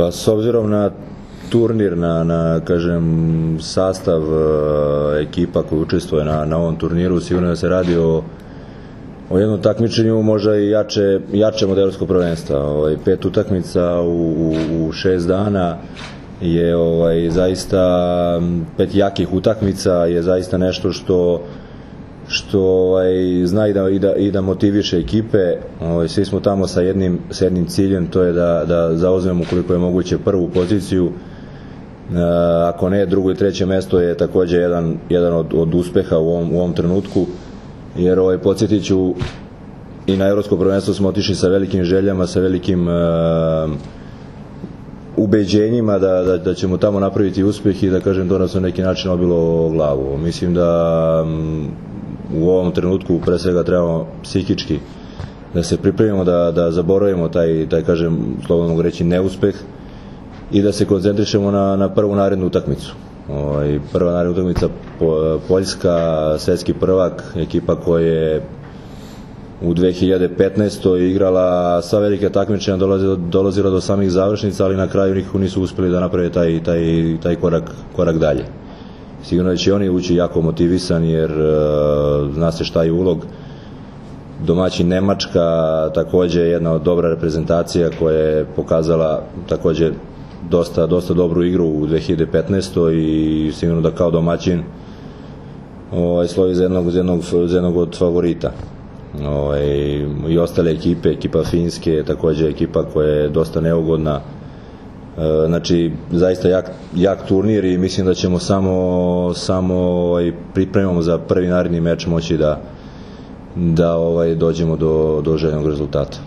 Pa s obzirom na turnir, na kažem, sastav ekipa koji učestvuje na ovom turniru, sigurno da se radi o jednom takmičenju možda i jače od evropskog prvenstva. 5 utakmica u 6 dana je zaista 5 jakih utakmica je zaista nešto što zna i da motiviše ekipe. Svi smo tamo sa jednim ciljem, to je da zauzmemo koliko je moguće prvu poziciju. Ako ne, drugo i treće mesto je takođe jedan od uspeha u ovom trenutku, jer podsjetit ću, i na evropsko prvenstvo smo otišli sa velikim željama, sa velikim ubeđenjima da ćemo tamo napraviti uspeh i da kažem to nas na neki način obilo glavu. Mislim da u ovom trenutku pre svega trebamo psihički da se pripremimo, da zaboravimo taj kažem, slobodno mogu reći, neuspeh i da se koncentrišemo na prvu narednu utakmicu. Prva naredna utakmica Poljska, svetski prvak, ekipa koja je u 2015. igrala sva velike takmičenja, dolazila do samih završnica, ali na kraju nikako nisu uspeli da naprave taj korak dalje. Sigurno da će oni ući jako motivisani, jer zna se šta je ulog. Domaćin Nemačka, takođe jedna od dobra reprezentacija koja je pokazala takođe dosta dobru igru u 2015. i sigurno da kao domaćin slovi za jednog od favorita. I ostale ekipe, ekipa Finske, takođe ekipa koja je dosta neugodna. Znači, zaista jak turnir i mislim da ćemo samo pripremamo za prvi naredni meč moći da dođemo do željenog rezultata.